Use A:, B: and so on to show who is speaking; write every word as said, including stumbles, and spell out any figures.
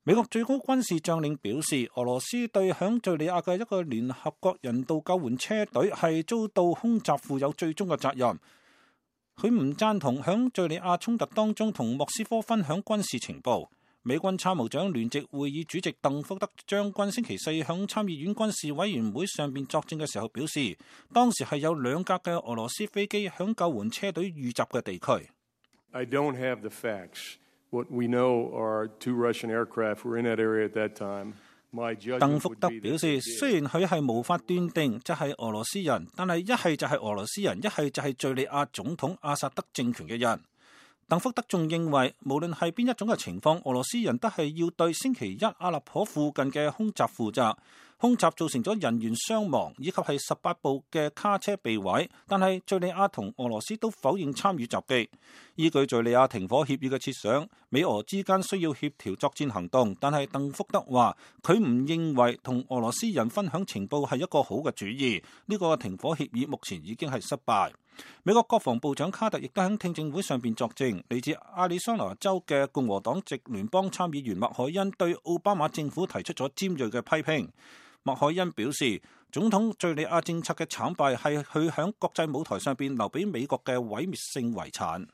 A: 美國最高軍事將領表示，俄羅斯對響敘利亞嘅一個聯合國人道救援車隊係遭到空襲負有最終嘅責任。佢唔贊同響敘利亞衝突當中同莫斯科分享軍事情報。美軍參謀長聯席會議主席鄧福德將軍星期四響參議院軍事委員會上邊作證嘅時候表示，當時係有兩架嘅俄羅斯飛機響救援車隊遇襲嘅地區。
B: I don't have the facts. What we know are two Russian aircraft were in that area at that time. My judgment would be that 鄧福德表示，雖然佢係無法斷定即係俄羅斯人，但係一係就係俄羅斯人，一係就係敘利亞總統阿薩德政權嘅人。鄧福德仲認為，無論係邊一種嘅情況，俄羅斯人都係要對星期一阿勒頗附近嘅空襲負責。空襲造成咗人員傷亡，以及係十八部嘅卡車被毀。但係敘利亞同俄羅斯都否認參與襲擊。依據敘利亞停火協議嘅設想，美俄之間需要協調作戰行動。但係鄧福德話，佢唔認為同俄羅斯人分享情報係一個好嘅主意。呢個停火協議目前已經係失敗。美國國防部長卡特亦都喺聽證會上邊作證。嚟自亞利桑那州嘅共和黨籍聯邦參議員麥凱恩對奧巴馬政府提出咗尖銳嘅批評。麥凱恩表示，總統敘利亞政策嘅慘敗係佢響國際舞台上邊留俾美國嘅毀滅性遺產。